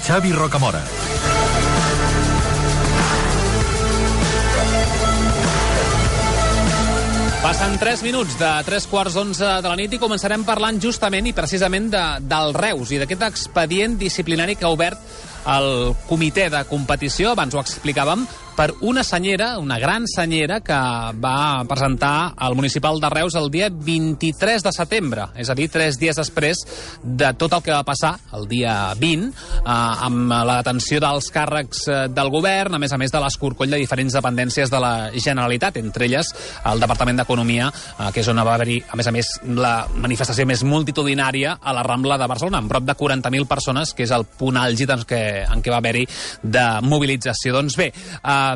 Xavi Rocamora. Passen 3 minuts de 3:15 de la nit i començarem parlant justament i precisament del Reus i d'aquest expedient disciplinari que ha obert el comitè de competició, abans ho explicàvem, per una senyera, una gran senyera, que va presentar al municipal de Reus el dia 23 de setembre, és a dir, 3 dies després de tot el que va passar el dia 20, amb la detenció dels càrrecs del govern, a més de l'escorcoll de diferents dependències de la Generalitat, entre elles el Departament d'Economia, que és on va haver-hi, a més, la manifestació més multitudinària a la Rambla de Barcelona, amb prop de 40.000 persones, que és el punt àlgid en què va haver-hi de mobilització. Doncs bé,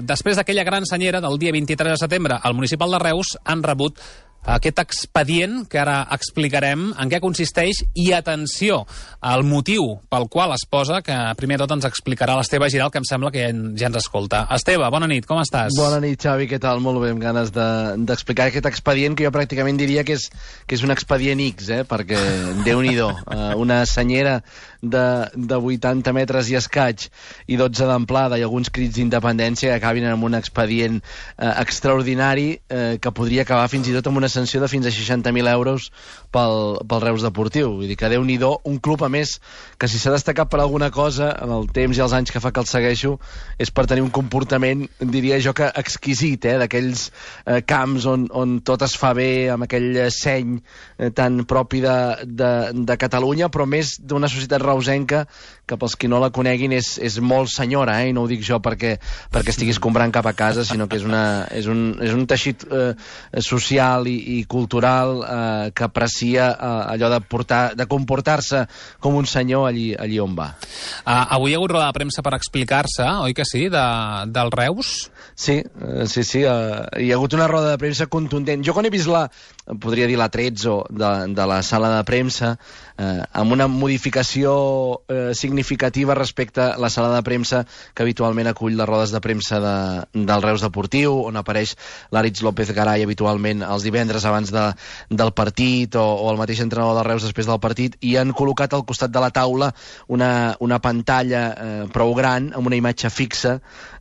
després d'aquella gran senyera del dia 23 de setembre, al municipal de Reus han rebut aquest expedient que ara explicarem en què consisteix i, atenció, el motiu pel qual es posa, que primer de tot ens explicarà l'Esteve Giral, que em sembla que ja ens escolta. Esteve, bona nit, com estàs? Bona nit, Xavi, què tal? Molt bé, amb ganes d'explicar aquest expedient que jo pràcticament diria que és un expedient X, perquè Déu-n'hi-do, una senyera de 80 metres i escaig i 12 d'amplada i alguns crits d'independència que acabin amb un expedient extraordinari que podria acabar fins i tot amb una sanció de fins a 60.000 euros pel Reus Deportiu. Vull dir que Déu-n'hi-do, un club, a més, que si s'ha destacat per alguna cosa en el temps i els anys que fa que el segueixo és per tenir un comportament, diria jo, que exquisit, d'aquells camps on tot es fa bé, amb aquell seny tan propi de Catalunya, però més d'una societat reusenca que pels qui no la coneguin és molt senyora, i no ho dic jo perquè estigui escombrant cap a casa, sinó que és un teixit social i cultural que aprecia allò de comportar-se com un senyor allí on va. Avui hi ha hagut roda de premsa per explicar-se, oi que sí, del Reus? Sí, hi ha hagut una roda de premsa contundent. Jo quan he vist podria dir la 13 de la sala de premsa, amb una modificació significativa respecte a la sala de premsa que habitualment acull les rodes de premsa del Reus Deportiu, on apareix l'Àritz López Garay habitualment els divendres abans del partit, o el mateix entrenador del Reus després del partit, i han col·locat al costat de la taula una pantalla prou gran amb una imatge fixa,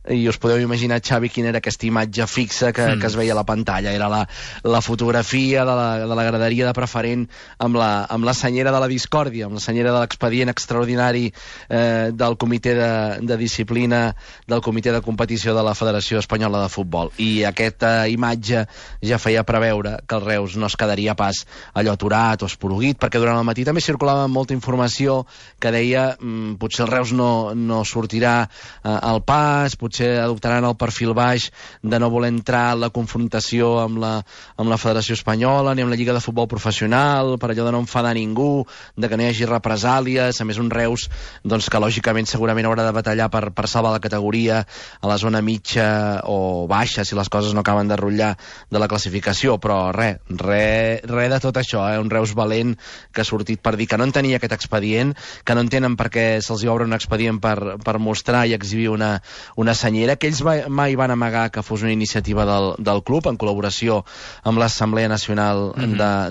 i us podeu imaginar, Xavi, quina era aquesta imatge fixa que es veia a la pantalla. Era la fotografia de la graderia de preferent amb la senyera de la discòrdia, amb la senyera de l'expedient extraordinari del comitè de disciplina, del comitè de competició de la Federació Espanyola de Futbol. I aquesta imatge ja feia preveure que el Reus no es quedaria pas allò aturat o esporuguit, perquè durant el matí també circulava molta informació que deia potser el Reus no sortirà al pas, potser adoptaran el perfil baix de no voler entrar en la confrontació amb la Federació Espanyola ni amb la Lliga de Futbol Professional, per allò de no enfadar ningú, de que no hi hagi represàlies. A més, un Reus que lògicament segurament haurà de batallar per salvar la categoria a la zona mitja o baixa si les coses no acaben de rotllar de la classificació, però res de tot això, un Reus valent que ha sortit per dir que no en tenia aquest expedient, que no entenen per què se'ls obre un expedient per mostrar i exhibir una senyera, que ells mai van amagar que fos una iniciativa del club en col·laboració amb l'Assemblea Nacional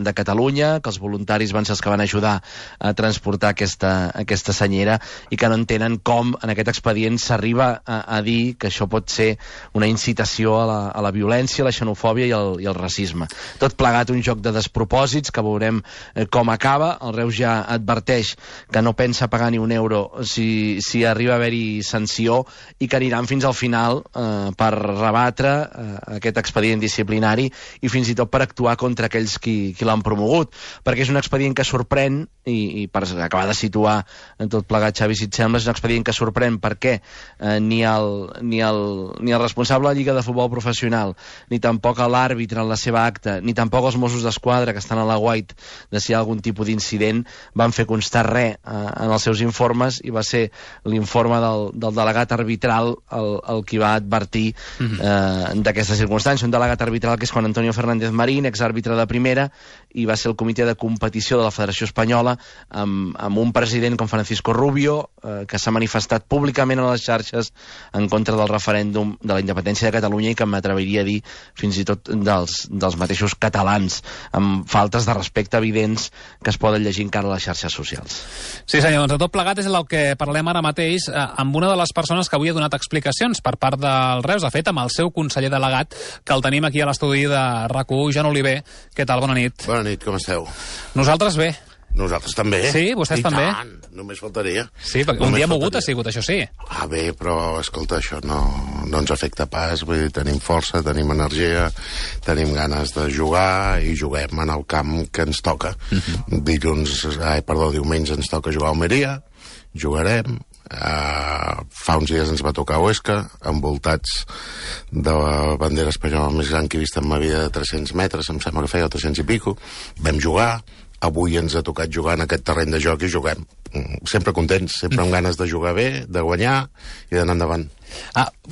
de Catalunya, que els voluntaris van ser els que van ajudar a transportar aquesta senyera, i que no entenen com en aquest expedient s'arriba a dir que això pot ser una incitació a la violència, la xenofòbia i el racisme. Tot plegat un joc de despropòsits que veurem com acaba. El Reus ja adverteix que no pensa pagar ni un euro si arriba a haver-hi sanció, i que aniran fins al final per rebatre aquest expedient disciplinari i fins i tot per actuar contra aquells qui l'han promogut, perquè és un expedient que sorprèn, i per acabar de situar tot plegat, Xavi, si et sembla, és un expedient que sorprèn perquè ni el responsable de la Lliga de Futbol Professional, ni tampoc l'àrbitre en la seva acta, ni tampoc els Mossos d'Esquadra que estan a la White de si hi ha algun tipus d'incident van fer constar res en els seus informes, i va ser l'informe del delegat arbitral el qui va advertir d'aquesta circumstància. Un delegat arbitral que és Juan Antonio Fernández Marín, exàrbitre de primera, i va ser el comitè de competició de la Federació Espanyola amb un president com Francisco Rubio, Rubio, que s'ha manifestat públicament a les xarxes en contra del referèndum de la independència de Catalunya i que m'atreviria a dir fins i tot dels mateixos catalans, amb faltes de respecte evidents que es poden llegir encara a les xarxes socials. Sí senyor, doncs de tot plegat és el que parlem ara mateix amb una de les persones que avui ha donat explicacions per part del Reus, de fet amb el seu conseller delegat, que el tenim aquí a l'estudi de RAC1, Joan Oliver. Què tal? Bona nit. Bona nit, com esteu? Nosaltres bé. Nosaltres també. Sí, vostès també. I tant, només faltaria. Sí, perquè un dia mogut ha sigut, això sí. Bé, però, escolta, això no ens afecta pas, vull dir, tenim força, tenim energia, tenim ganes de jugar i juguem en el camp que ens toca. Diumenge ens toca jugar a Almeria, jugarem, fa uns dies ens va tocar a Huesca, envoltats de la bandera espanyola més gran que he vist en ma vida, de 300 metres, em sembla que feia 300 i pico, vam jugar. Avui ens ha tocat jugar en aquest terreny de joc i juguem. Sempre contents, sempre amb ganes de jugar bé, de guanyar i d'anar endavant.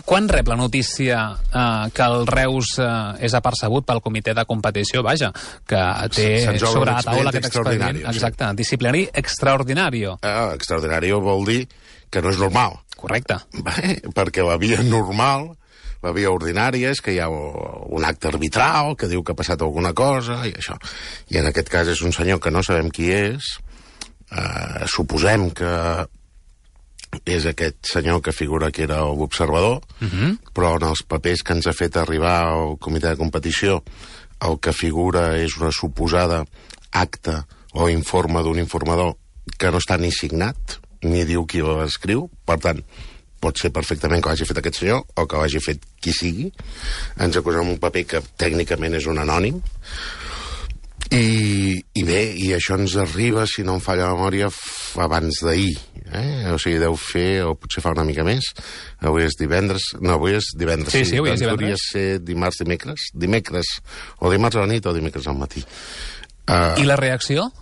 Quan rep la notícia que el Reus és apercebut pel comitè de competició, vaja, que té sobre la taula aquest expedient, exacte, disciplinari extraordinari. Extraordinari vol dir que no és normal. Correcte. Perquè la via normal, la via ordinària és que hi ha un acte arbitral que diu que ha passat alguna cosa i això. I en aquest cas és un senyor que no sabem qui és, suposem que és aquest senyor que figura que era l'observador, però en els papers que ens ha fet arribar al comitè de competició el que figura és una suposada acta o informe d'un informador que no està ni signat, ni diu qui l'escriu, per tant, pot ser perfectament que l'hagi fet aquest senyor o que l'hagi fet qui sigui. Ens acusem un paper que tècnicament és un anònim. I bé, i això ens arriba, si no em falla la memòria, abans d'ahir. O sigui, deu fer, o potser fa una mica més. Avui és divendres. No, avui és divendres. Sí, avui és divendres. Podria ser dimarts, dimecres. O dimarts a la nit o dimecres al matí. I la reacció?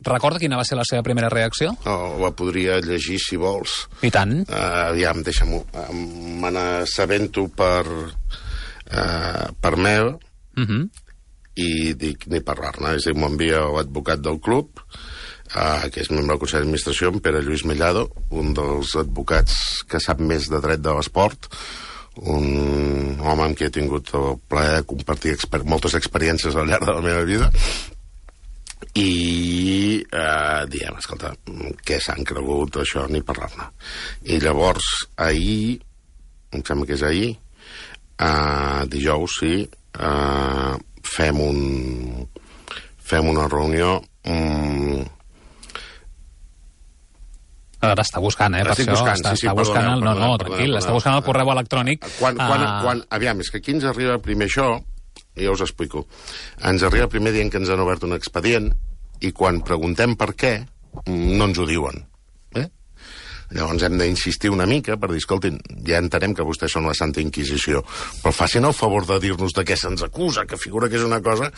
Recorda quina va ser la seva primera reacció? La podria llegir, si vols. I tant. Aviam, deixa'm-ho. Me n'assabento per mail i dic ni parlar-ne. És a dir, m'envia l'advocat del club, que és membre del Consell d'Administració, en Pere Lluís Mellado, un dels advocats que sap més de dret de l'esport, un home amb qui he tingut el plaer de compartir moltes experiències al llarg de la meva vida, i diem, escolta, què s'han cregut, això, ni parlar-ne. I llavors, ahir, em sembla que és ahir, dijous, sí, fem una reunió. Ara està buscant, per estic això. Buscant, està buscant tranquil, està buscant el correu electrònic. Aviam, és que aquí ens arriba primer això, i ja us explico. Ens arriba primer dient que ens han obert un expedient i quan preguntem per què, no ens ho diuen. Llavors hem d'insistir una mica per dir, escoltin, ja entenem que vostès són la Santa Inquisició, però facin el favor de dir-nos de què se'ns acusa, que figura que és una cosa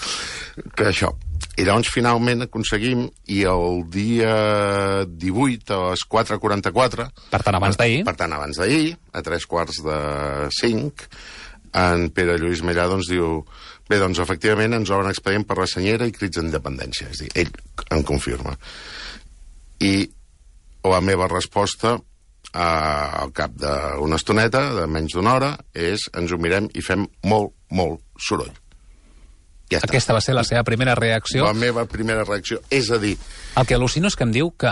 que això. I llavors finalment aconseguim, i el dia 18 a les 4:44... Per tant, abans d'ahir, a 3:45, en Pere Lluís Mellado ens diu, bé, doncs efectivament ens obren expedient per la senyera i crits d'independència. És a dir, ell en confirma. I la meva resposta al cap d'una estoneta, de menys d'una hora, és ens ho mirem i fem molt, molt soroll. Ja està. Aquesta va ser la seva primera reacció. La meva primera reacció. És a dir... El que al·lucino és que em diu que,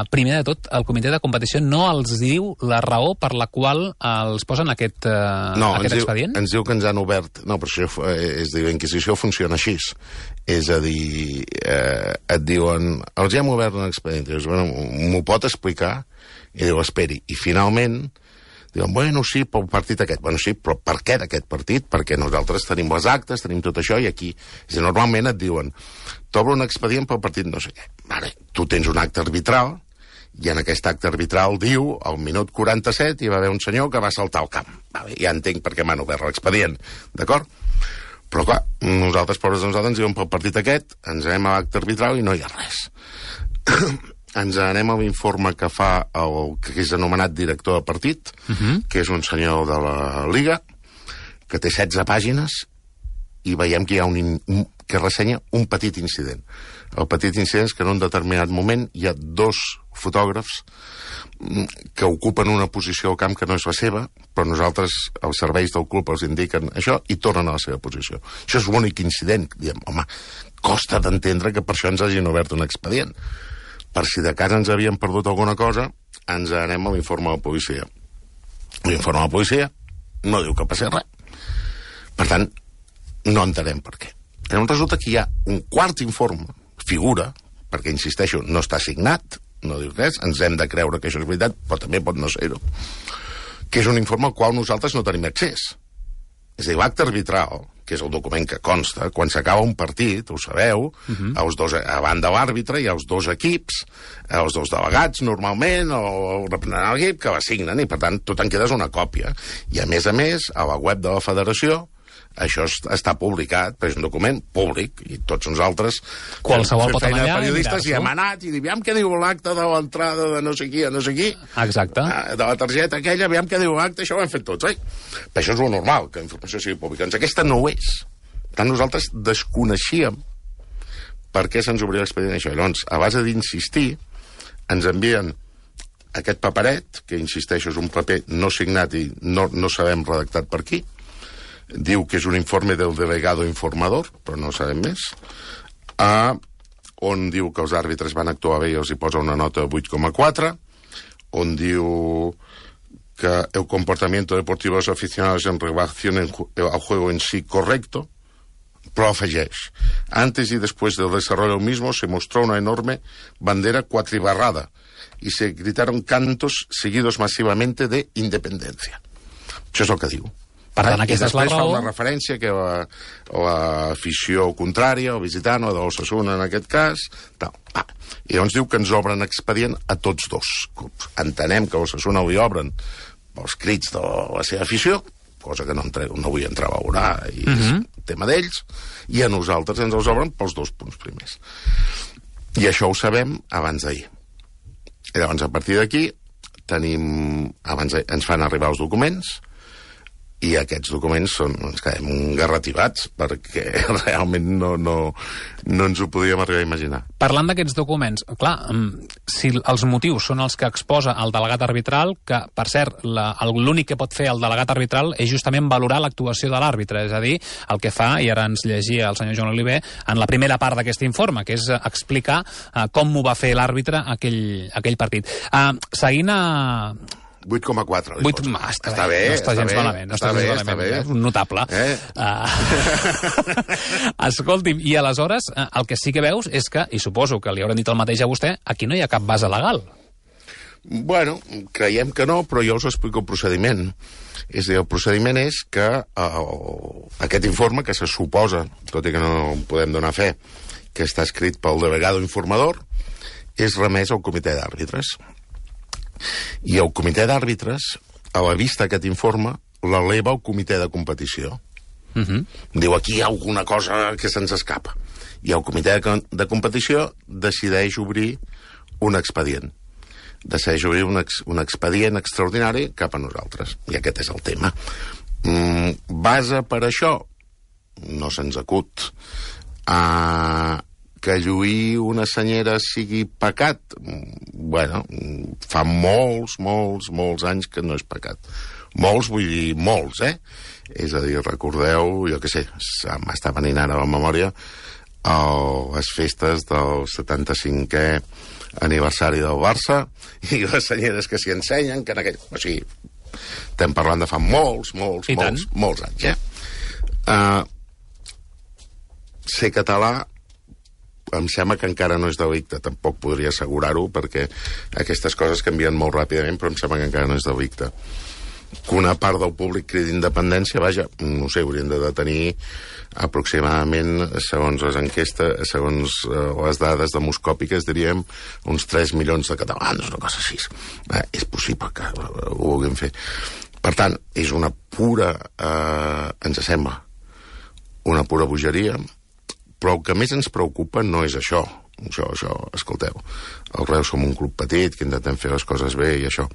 primer de tot, el comitè de competició no els diu la raó per la qual els posen aquest expedient? No, ens diu que ens han obert... No, però això és dir, la Inquisició funciona així. És a dir, et diuen, els hem obert un expedient. Dius, bueno, m'ho pot explicar? I diu, esperi. I finalment... Diuen, bueno, sí, pel partit aquest. Bueno, sí, però per què d'aquest partit? Perquè nosaltres tenim les actes, tenim tot això, i aquí... És a dir, normalment et diuen, t'obre un expedient pel partit no sé què. Vale, tu tens un acte arbitral, i en aquest acte arbitral diu, al minut 47, hi va haver un senyor que va saltar al camp. Vale, ja entenc per què m'han obert l'expedient, d'acord? Però, clar, nosaltres, pobres de nosaltres, ens diuen pel partit aquest, ens anem a l'acte arbitral i no hi ha res. Ens anem a l'informe que fa el que és anomenat director de partit, que és un senyor de la Liga, que té 16 pàgines, i veiem que hi ha que ressenya un petit incident. El petit incident és que en un determinat moment hi ha 2 fotògrafs que ocupen una posició al camp que no és la seva, però nosaltres, els serveis del club, els indiquen això i tornen a la seva posició. Això és l'únic incident. Diem, home, costa d'entendre que per això ens hagin obert un expedient. Per si de cas ens havien perdut alguna cosa, ens anem a l'informe de la policia. L'informe de la policia no diu que passi res. Per tant, no entenem per què. Llavors resulta que hi ha un quart informe, figura, perquè, insisteixo, no està signat, no diu res, ens hem de creure que això és veritat, però també pot no ser-ho, que és un informe al qual nosaltres no tenim accés. És a dir, l'acte arbitral, que és el document que consta, quan s'acaba un partit, ho sabeu, els dos, a banda de l'àrbitre hi ha els 2 equips, els 2 delegats, normalment, o el representant de l'equip, que la signen, i per tant tu te'n quedes una còpia. I a més, a la web de la federació, això està publicat, però és un document públic, i tots nosaltres qualsevol pot anar allà periodistes i hem anat i aviam què diu l'acte de l'entrada de no sé qui a no sé qui. Exacte. De la targeta aquella, aviam què diu l'acte, això ho hem fet tots, oi? Però això és el normal, que la informació sigui pública. Doncs aquesta no ho és. Per tant, nosaltres desconeixíem per què se'ns obria l'expedient això. Llavors, a base d'insistir, ens envien aquest paperet, que insisteixo és un paper no signat i no sabem redactat per qui. Diu que és un informe del delegado informador, però no sabem més, on diu que els àrbitres van actuar bé i els hi posa una nota de 8,4, on diu que el comportamiento deportivo de los aficionados en relación al juego en sí correcto, però afegeix, antes y después del desarrollo mismo se mostró una enorme bandera cuatribarrada y se gritaron cantos seguidos masivamente de independencia. Això és el que diu. Per tant, aquesta és la raó. I després fa una referència que l'afició contrària, o visitant, o de l'Osasuna en aquest cas, tal. I llavors diu que ens obren expedient a tots 2 clubs. Entenem que a l'Osasuna ho hi obren pels crits de la seva afició, cosa que no vull entrar a valorar, i és tema d'ells, i a nosaltres ens els obren pels 2 punts primers. I això ho sabem abans d'ahir. I llavors, a partir d'aquí, ens fan arribar els documents, i aquests documents ens quedem garrativats perquè realment no ens ho podíem arribar a imaginar. Parlant d'aquests documents, clar, si els motius són els que exposa el delegat arbitral, que, per cert, l'únic que pot fer el delegat arbitral és justament valorar l'actuació de l'àrbitre, és a dir, el que fa, i ara ens llegia el senyor Joan Oliver, en la primera part d'aquest informe, que és explicar com ho va fer l'àrbitre aquell partit. Seguint a... 8,4. Està bé. No està gens malament. Està bé. És un notable. Escolti'm, i aleshores el que sí que veus és que, i suposo que li hauran dit el mateix a vostè, aquí no hi ha cap base legal. Bueno, creiem que no, però jo us explico el procediment. És a dir, el procediment és que aquest informe, que se suposa, tot i que no podem donar fe, que està escrit pel delegado informador, és remès al comitè d'àrbitres. I el comitè d'àrbitres, a la vista d'aquest informe, l'eleva al comitè de competició. Diu, aquí hi ha alguna cosa que se'ns escapa. I el comitè de competició decideix obrir un expedient. Decideix obrir un expedient extraordinari cap a nosaltres. I aquest és el tema. Base per això? No se'ns acut. Que lluir una senyera sigui pecat? Bueno, fa molts anys que no és pecat. Molts, vull dir molts, És a dir, recordeu, jo què sé, m'està venint ara a la memòria les festes del 75è aniversari del Barça i les senyeres que s'hi ensenyen, que en aquell... O sigui, estem parlant de fa molts anys, Ser català em sembla que encara no és delicte, tampoc podria assegurar-ho, perquè aquestes coses canvien molt ràpidament, però em sembla que encara no és delicte. Que una part del públic cridi independència, vaja, no sé, haurien de detenir aproximadament, segons les enquestes, segons les dades demoscòpiques, diríem, uns 3 milions de catalans, una cosa així. És possible que ho vulguin fer. Per tant, és una pura, ens sembla, una pura bogeria. Però el que més ens preocupa no és això. Això, escolteu, el Reus som un club petit, que intentem fer les coses bé i això.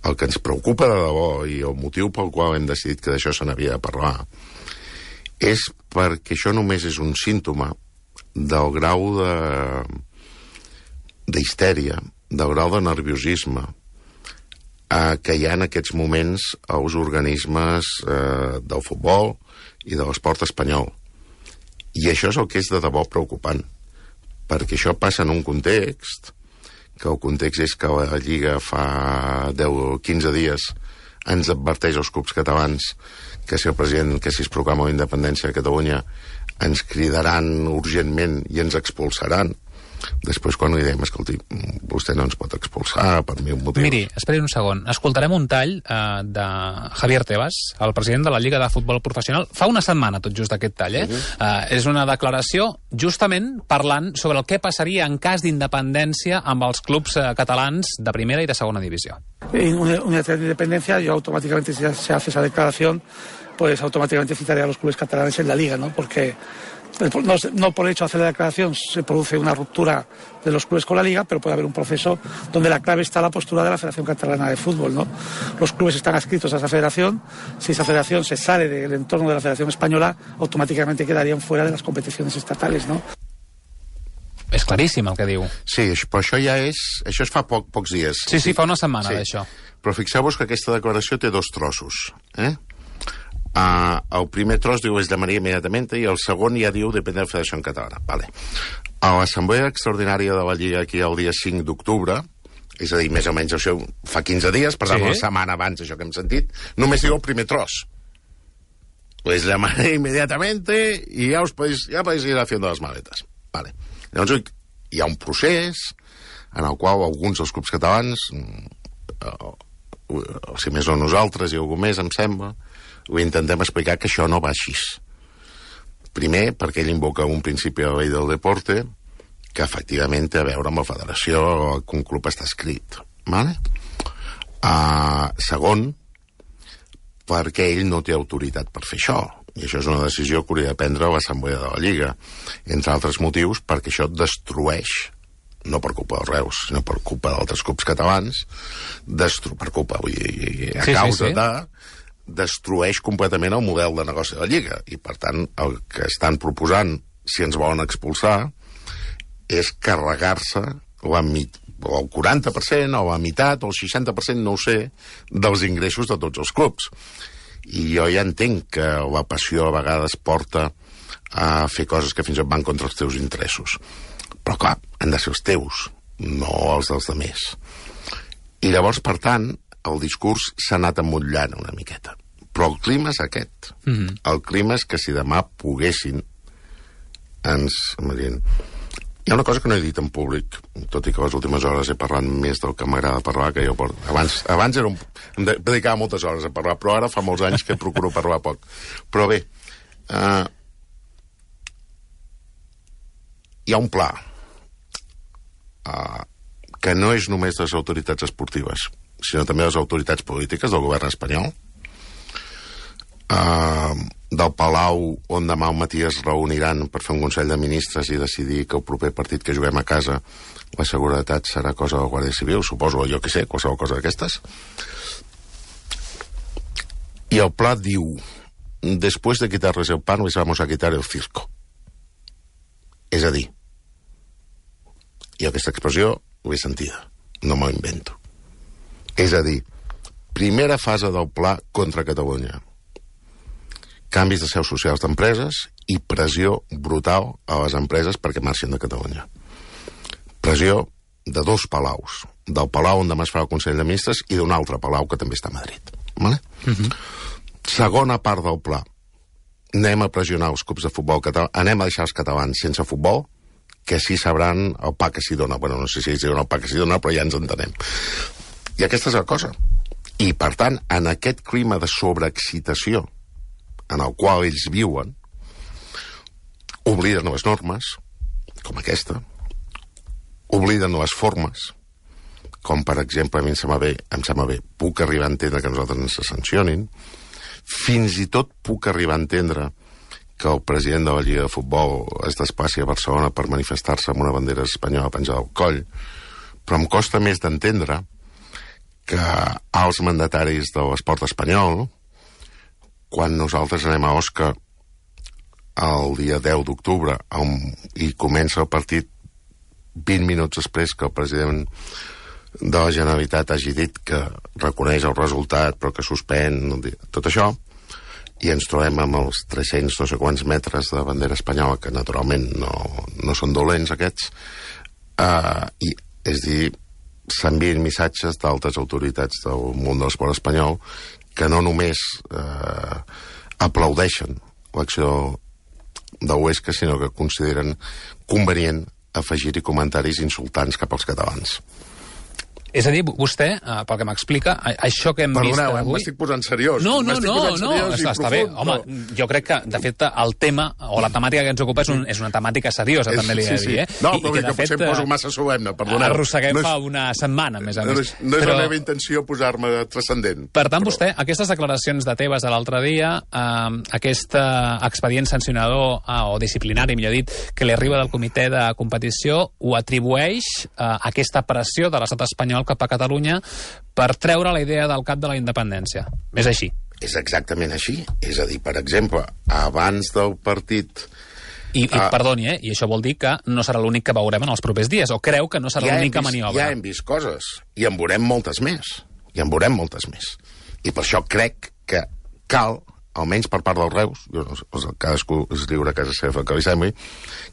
El que ens preocupa de debò i el motiu pel qual hem decidit que d'això se n'havia de parlar és perquè això només és un símptoma del grau d'histèria, del grau de nerviosisme que hi ha en aquests moments als organismes del futbol i de l'esport espanyol. I això és el que és de debò preocupant, perquè això passa en un context, que el context és que la Lliga fa 10 o 15 dies ens adverteix als clubs catalans que si el president, que si es proclama la independència de Catalunya, ens cridaran urgentment i ens expulsaran. Després, quan li dèiem, escolti, vostè no ens pot expulsar per mil motius. Miri, esperi un segon. Escoltarem un tall de Javier Tebas, el president de la Lliga de Futbol Professional. Fa una setmana, tot just, aquest tall, és una declaració justament parlant sobre el que passaria en cas d'independència amb els clubs catalans de primera i de segona divisió. En una independencia, yo automáticamente, si se hace esa declaración, pues automáticamente citaré a los clubes catalanes en la Liga, ¿no? Porque no por el hecho de hacer la declaración se produce una ruptura de los clubes con la Liga, pero puede haber un proceso donde la clave está la postura de la Federación Catalana de Fútbol, ¿no? Los clubes están adscritos a esa federación. Si esa federación se sale del entorno de la Federación Española, automáticamente quedarían fuera de las competiciones estatales, ¿no? És claríssim el que diu. Sí, però això ja és... Això es fa pocs dies. Sí, fa una setmana d'això. Però fixeu-vos que aquesta declaració té dos trossos, el primer tros diu es llamaria immediatament i el segon ja diu depèn de la Federació Catalana. Vale. A l'Assemblea Extraordinària de la Lliga aquí el dia 5 d'octubre, és a dir, més o menys això fa 15 dies, per tant, una setmana abans això que hem sentit, només diu el primer tros. Pues llamaré inmediatamente y ya podéis ir haciendo las maletas. Vale. Llavors hi ha un procés en el qual alguns dels clubs catalans, si més no nosaltres i algú més, em sembla, ho intentem explicar que això no va així. Primer, perquè ell invoca un principi de la llei del deporte que efectivament té a veure amb la federació que un club està escrit. Vale? Segon, perquè ell no té autoritat per fer això. I això és una decisió que hauria de prendre l'Assemblea de la Lliga. Entre altres motius, perquè això destrueix, no per culpa dels Reus, sinó per culpa d'altres clubs catalans, per culpa, a causa de... destrueix completament el model de negoci de la Lliga. I, per tant, el que estan proposant, si ens volen expulsar, és carregar-se el 40%, o la meitat, o el 60%, no ho sé, dels ingressos de tots els clubs. I jo ja entenc que la passió a vegades porta a fer coses que fins i tot van contra els teus interessos. Però, clar, han de ser els teus, no els dels altres. I llavors, per tant, el discurs s'ha anat emmotllant una miqueta. Però el clima és aquest. El clima és que si demà poguessin hi ha una cosa que no he dit en públic, tot i que les últimes hores he parlat més del que m'agrada parlar, que jo abans em dedicava moltes hores a parlar, però ara fa molts anys que procuro parlar poc. Però bé, hi ha un pla que no és només de les autoritats esportives, sinó també de les autoritats polítiques del govern espanyol, del Palau, on demà al matí es reuniran per fer un Consell de Ministres i decidir que el proper partit que juguem a casa la seguretat serà cosa de la Guàrdia Civil, suposo, jo què sé, qualsevol cosa d'aquestes. I el pla diu: después de quitarles el pan, les vamos a quitar el circo. És a dir, i aquesta expressió l'he sentida, no m'ho invento. És a dir, primera fase del pla contra Catalunya. Canvis de seus socials d'empreses i pressió brutal a les empreses perquè marxin de Catalunya. Pressió de dos palaus. Del palau on demà es farà el Consell de Ministres i d'un altre palau que també està a Madrid. Vale? Segona part del pla. Anem a pressionar els clubs de futbol català, anem a deixar els catalans sense futbol, que sí sabran el pa que s'hi dona. Bueno, no sé si ells diuen el pa que s'hi dona, però ja ens entenem. I aquesta és la cosa. I, per tant, en aquest clima de sobreexcitació en el qual ells viuen, obliden les normes, com aquesta, obliden les formes, com, per exemple, a mi em sembla bé, puc arribar a entendre que nosaltres ens sancionin, fins i tot puc arribar a entendre que el president de la Lliga de Futbol es desplaci a Barcelona per manifestar-se amb una bandera espanyola penjada al coll, però em costa més d'entendre que els mandataris de l'esport espanyol, quan nosaltres anem a Osca el dia 10 d'octubre i comença el partit 20 minuts després que el president de la Generalitat hagi dit que reconeix el resultat però que suspèn tot això, i ens trobem amb els 300 no sé quants metres de bandera espanyola, que naturalment no són dolents aquests, i és dir, s'envien missatges d'altres autoritats del món de l'esport espanyol que no només aplaudeixen l'acció de Huesca, sinó que consideren convenient afegir-hi comentaris insultants cap als catalans. És a dir, vostè, pel que m'explica, això que hem vist avui... Perdoneu, m'estic posant seriós. No, està bé. Home, jo crec que, de fet, el tema o la temàtica que ens ocupa és una temàtica seriosa, també li he de dir. No, però que potser em poso massa solemne, perdoneu. Arrosseguem fa una setmana, més a més. No és la meva intenció posar-me transcendent. Per tant, vostè, aquestes declaracions de Tebas de l'altre dia, aquest expedient sancionador o disciplinari, millor dit, que li arriba del comitè de competició, ho atribueix a aquesta pressió de l'estat espanyol cap a Catalunya per treure la idea del cap de la independència. És així. És exactament així. És a dir, per exemple, abans del partit... I perdoni, i això vol dir que no serà l'únic que veurem en els propers dies, o creu que no serà l'única maniobra? Ja hem vist coses, i en veurem moltes més. I per això crec que cal, almenys per part dels Reus, cadascú es lliure a casa seva que li sembli,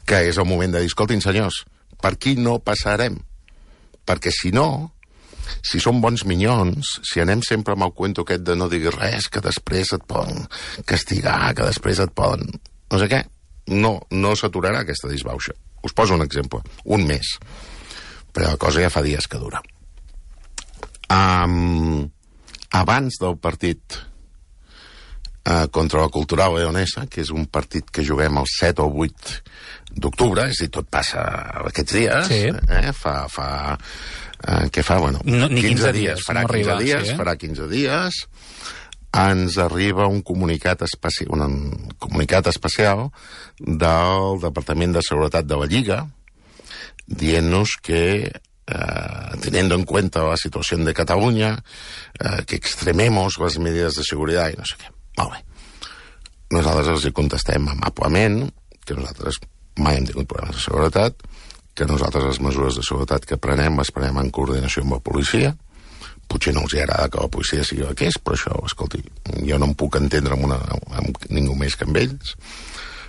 que és el moment de dir, escoltin, senyors, per aquí no passarem. Perquè si no, si som bons minyons, si anem sempre amb el cuento aquest de no diguis res, que després et poden castigar, que després et poden... no sé què, no s'aturarà aquesta disbauxa. Us poso un exemple, un mes. Però la cosa ja fa dies que dura. Abans del partit contra la Cultural Leonesa, que és un partit que juguem el 7 o 8 d'octubre, és a dir, tot passa aquests dies, sí. Què fa? Bueno, no, 15 dies. Farà 15 dies, farà 15 dies, ens arriba un comunicat especial del Departament de Seguretat de la Lliga dient-nos que teniendo en cuenta la situación de Cataluña, que extrememos las medidas de seguridad i no sé què. Molt bé. Nosaltres els hi contestem amablement que nosaltres mai hem tingut problemes de seguretat, que nosaltres les mesures de seguretat que prenem les prenem en coordinació amb la policia. Potser no els hi agrada que la policia sigui el que és, però això, escolti, jo no em puc entendre amb ningú més que amb ells,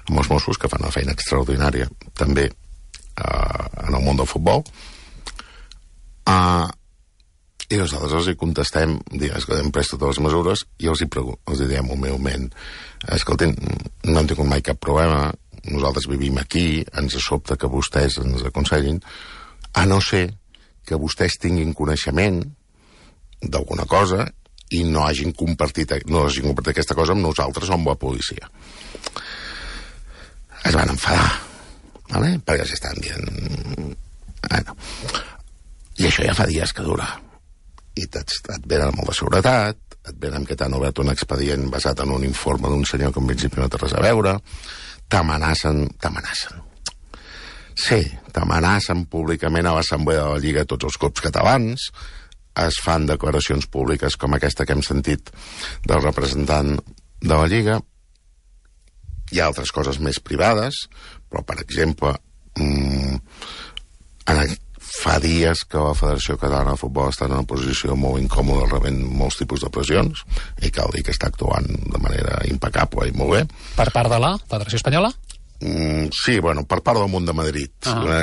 amb els Mossos, que fan una feina extraordinària també en el món del futbol. I nosaltres els hi contestem, que hem pres totes les mesures, i els hi diem humilment, escoltin, no hem tingut mai cap problema, nosaltres vivim aquí, ens sobta que vostès ens aconsellin, a no ser que vostès tinguin coneixement d'alguna cosa i no hagin compartit aquesta cosa amb nosaltres o amb la policia. Es van enfadar, ¿vale? Perquè s'estan dient... Bueno. I això ja fa dies que dura. I et venen amb la seguretat, et venen que t'han obert un expedient basat en un informe d'un senyor que en principi no té res a veure, t'amenacen. Sí, t'amenacen públicament a l'Assemblea de la Lliga tots els clubs catalans, es fan declaracions públiques com aquesta que hem sentit del representant de la Lliga. Hi ha altres coses més privades, però, per exemple, fa dies que la Federació Catalana de Futbol està en una posició molt incòmoda, rebent molts tipus de pressions, i cal dir que està actuant de manera impecable i molt bé. Per part de la Federació Espanyola? Sí, bueno, per part del món de Madrid,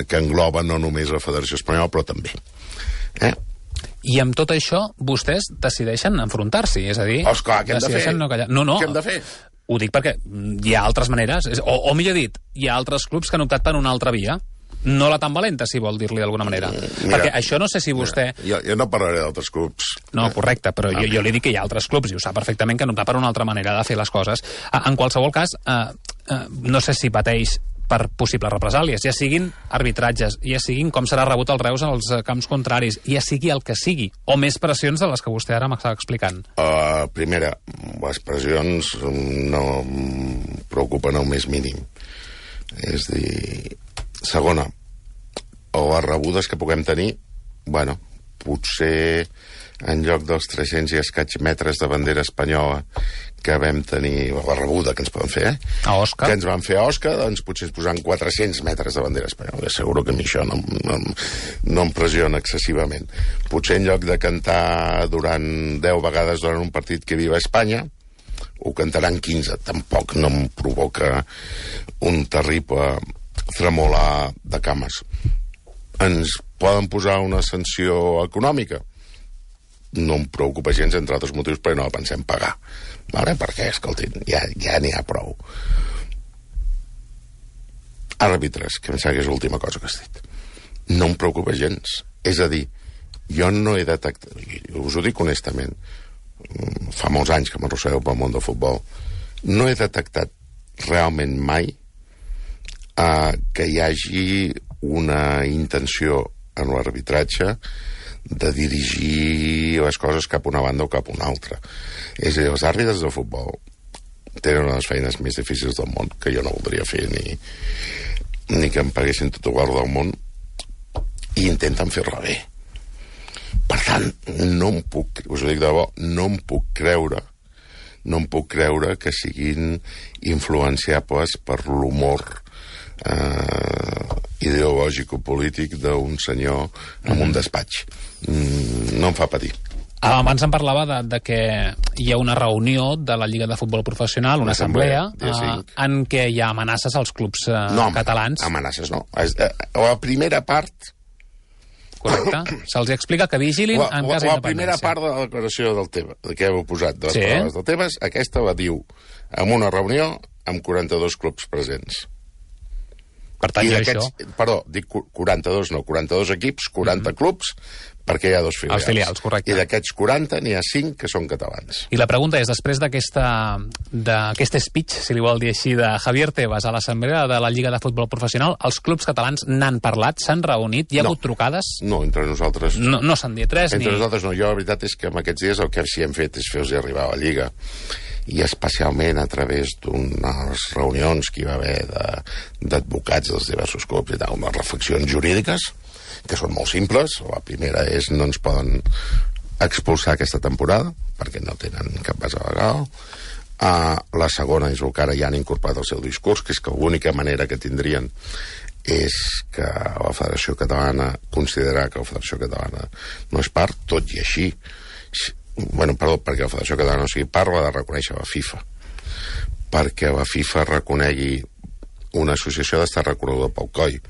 que engloba no només la Federació Espanyola, però també. I amb tot això, vostès decideixen enfrontar-s'hi, és a dir... Esclar, què hem de fer? No. Què hem de fer? Ho dic perquè hi ha altres maneres, o millor dit, hi ha altres clubs que han optat per una altra via. No la tan valenta, si vol dir-li d'alguna manera. Perquè això no sé si vostè... Jo no parlaré d'altres clubs. No, correcte, però jo li dic que hi ha altres clubs, i ho sap perfectament, que han optat per una altra manera de fer les coses. En qualsevol cas, no sé si pateix per possibles represàlies, ja siguin arbitratges, ja siguin com serà rebut el Reus en els camps contraris, ja sigui el que sigui, o més pressions de les que vostè ara m'estava explicant. Primera, les pressions no em preocupen el més mínim. És a dir... Segona, les rebudes que puguem tenir, bueno, potser en lloc dels 300 i escaig metres de bandera espanyola que vam tenir, la rebuda que ens poden fer, A Osca. que ens van fer a Osca, doncs potser ens posaran 400 metres de bandera espanyola. Asseguro que a mi això no em pressiona excessivament. Potser en lloc de cantar durant 10 vegades durant un partit que viva Espanya, ho cantaran 15. Tampoc no em provoca un terrible tremolar de cames. Ens poden posar una sanció econòmica? No em preocupa gens, entre altres motius, perquè no la pensem pagar. Vale? Perquè, escoltin, ja n'hi ha prou. Àrbitres, que em sembla que és l'última cosa que has dit. No em preocupa gens. És a dir, jo no he detectat, us ho dic honestament, fa molts anys que m'arrossegueu pel món del futbol, no he detectat realment mai que hi hagi una intenció en l'arbitratge de dirigir les coses cap a una banda o cap a una altra. És a dir, els àrbitres de futbol tenen una de les feines més difícils del món, que jo no voldria fer ni que em paguessin tot el guard del món, i intenten fer-la bé. Per tant, no em puc, us ho dic de debò, no em puc creure que siguin influenciables per l'humor ideològic o polític d'un senyor en un despatx. No em fa patir. Abans em parlava de que hi ha una reunió de la Lliga de Futbol Professional, una assemblea, en què hi ha amenaces als clubs catalans. No, amenaces no. La primera part... Correcte. Se'ls explica que vigilin en cas d'independència. La primera part de la declaració del Tebas, que heu posat, de les paraules del Tebas, aquesta la diu en una reunió amb 42 clubs presents. Per tant, hi ha això. Perdó, dic 42 no, 42 equips, 40 clubs, perquè hi ha 2 filials. Els filials, correcte. I d'aquests 40 n'hi ha 5 que són catalans. I la pregunta és, després d'aquest speech, si li vol dir així, de Javier Tebas a l'assemblea de la Lliga de Futbol Professional, els clubs catalans n'han parlat, s'han reunit, hi ha hagut trucades? No, entre nosaltres... No s'han dit res? Entre nosaltres no. Jo, la veritat és que en aquests dies el que sí hem fet és fer-los arribar a la Lliga, i especialment a través d'unes reunions que hi va haver d'advocats dels diversos clubs i tal, unes reflexions jurídiques que són molt simples. La primera és no ens poden expulsar aquesta temporada perquè no tenen cap base legal. La segona és el que ara ja han incorporat al seu discurs, que és que l'única manera que tindrien és que la Federació Catalana considerar que la Federació Catalana no és part, tot i així perquè la Federació Catalana no sigui part, ha de reconèixer la FIFA, perquè la FIFA reconegui una associació d'estar reconeguda pel COI,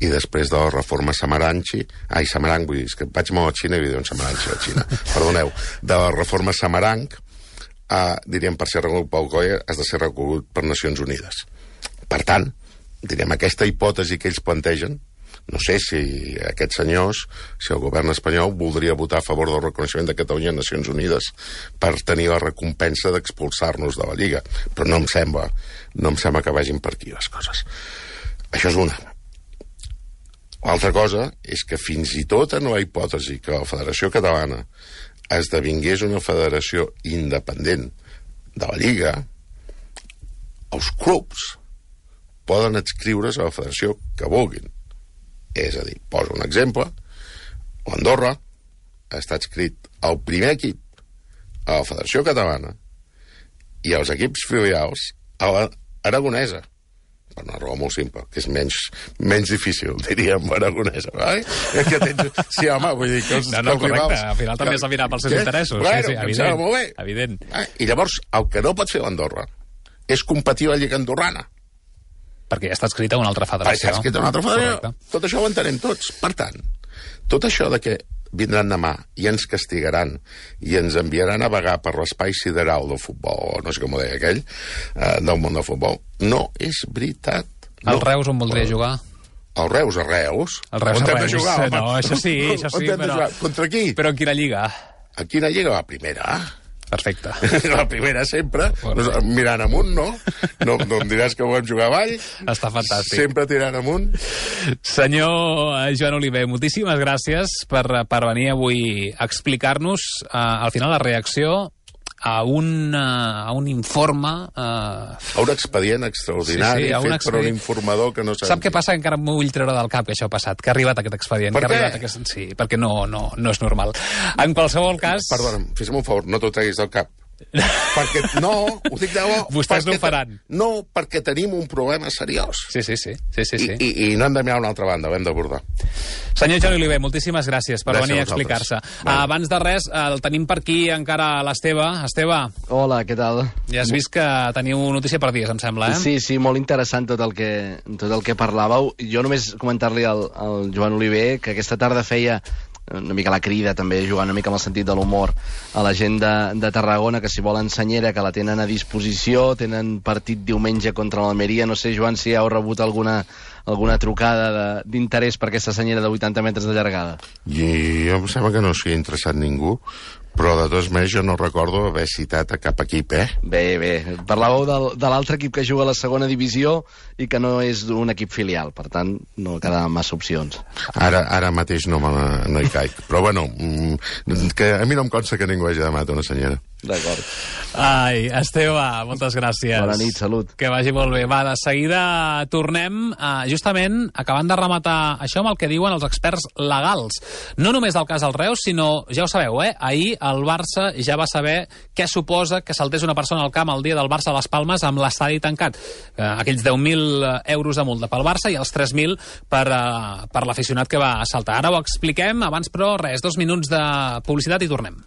i després de la reforma Samaranch, vull dir, és que vaig molt a Xina i diuen Samaranch a Xina, perdoneu, de la reforma Samaranch, diríem, per ser reconegut pel COI has de ser reconegut per Nacions Unides. Per tant, diríem, aquesta hipòtesi que ells plantegen, no sé si aquests senyors, si el govern espanyol voldria votar a favor del reconeixement de Catalunya a Nacions Unides per tenir la recompensa d'expulsar-nos de la Lliga, però no em sembla que vagin per aquí les coses. Això és una. L'altra cosa és que fins i tot en la hipòtesi que la Federació Catalana esdevingués una federació independent de la Lliga, els clubs poden adscriure's a la federació que vulguin. És a dir, poso un exemple, l'Andorra està adscrit el primer equip a la Federació Catalana i els equips filials a l'Aragonesa, per una raó molt simple, que és menys difícil, diríem, l'Aragonesa. Que tens... Sí, home, vull dir que els correcte, al final també s'ha mirat pels seus interessos. Bueno, evident. I llavors, el que no pot fer l'Andorra és competir a la Lliga Andorrana. Perquè ja està escrita una altra federació. Està escrita una altra federació. Correcte. Tot això ho entenem tots. Per tant, tot això de que vindran demà i ens castigaran i ens enviaran a vagar per l'espai sideral del futbol, o no sé com ho deia aquell, del món del futbol, no és veritat. El Reus on voldria jugar? El Reus a Reus? El Reus on a Reus. Jugar, no, això sí, però... Contra qui? Però en quina lliga? A quina lliga? La primera. Perfecte. La primera sempre, mirant amunt, no? No em diràs que volem jugar avall. Està fantàstic. Sempre tirant amunt. Senyor Joan Oliver, moltíssimes gràcies per venir avui a explicar-nos al final la reacció a un informe... A un expedient extraordinari fet per un informador que no sap... Sap què passa? Encara m'ho vull treure del cap, que això ha passat, que ha arribat aquest expedient. Per què? Sí, perquè no és normal. En qualsevol cas... Perdona'm, fes-me un favor, no t'ho treguis del cap. Perquè, no, ho dic de bo... Vostès no ho faran. No, perquè tenim un problema seriós. Sí. I no hem de mirar a una altra banda, ho hem d'abordar. Senyor Joan Oliver, moltíssimes gràcies per venir a explicar-se. Abans de res, el tenim per aquí encara l'Esteve. Esteve. Hola, què tal? Ja has vist que teniu notícia per dies, em sembla, eh? Sí, molt interessant tot el que parlàveu. Jo només comentar-li al Joan Oliver que aquesta tarda feia una mica la crida, també jugant una mica amb el sentit de l'humor a la gent de Tarragona, que si volen senyera, que la tenen a disposició, tenen partit diumenge contra l'Almeria. No sé, Joan, si heu rebut alguna trucada d'interès per aquesta senyera de 80 metres de llargada. I em sembla que no s'hi ha interessat ningú, però de totes maneres jo no recordo haver citat a cap equip, Bé. Parlàveu de l'altre equip que juga a la segona divisió i que no és un equip filial, per tant, no quedaven massa opcions. Ara mateix no hi caic. Però bueno, que a mi no em consta que ningú hagi demanat una senyera. D'acord. Ai, Esteve, moltes gràcies. Bona nit, salut. Que vagi molt bé. Va, de seguida tornem justament acabant de rematar això amb el que diuen els experts legals. No només del cas del Reus, sinó, ja ho sabeu, ahir el Barça ja va saber què suposa que saltés una persona al camp el dia del Barça a les Palmes amb l'estadi tancat. Aquells 10.000 euros de multa pel Barça i els 3.000 per l'aficionat que va saltar. Ara ho expliquem, abans però res, 2 minuts de publicitat i tornem.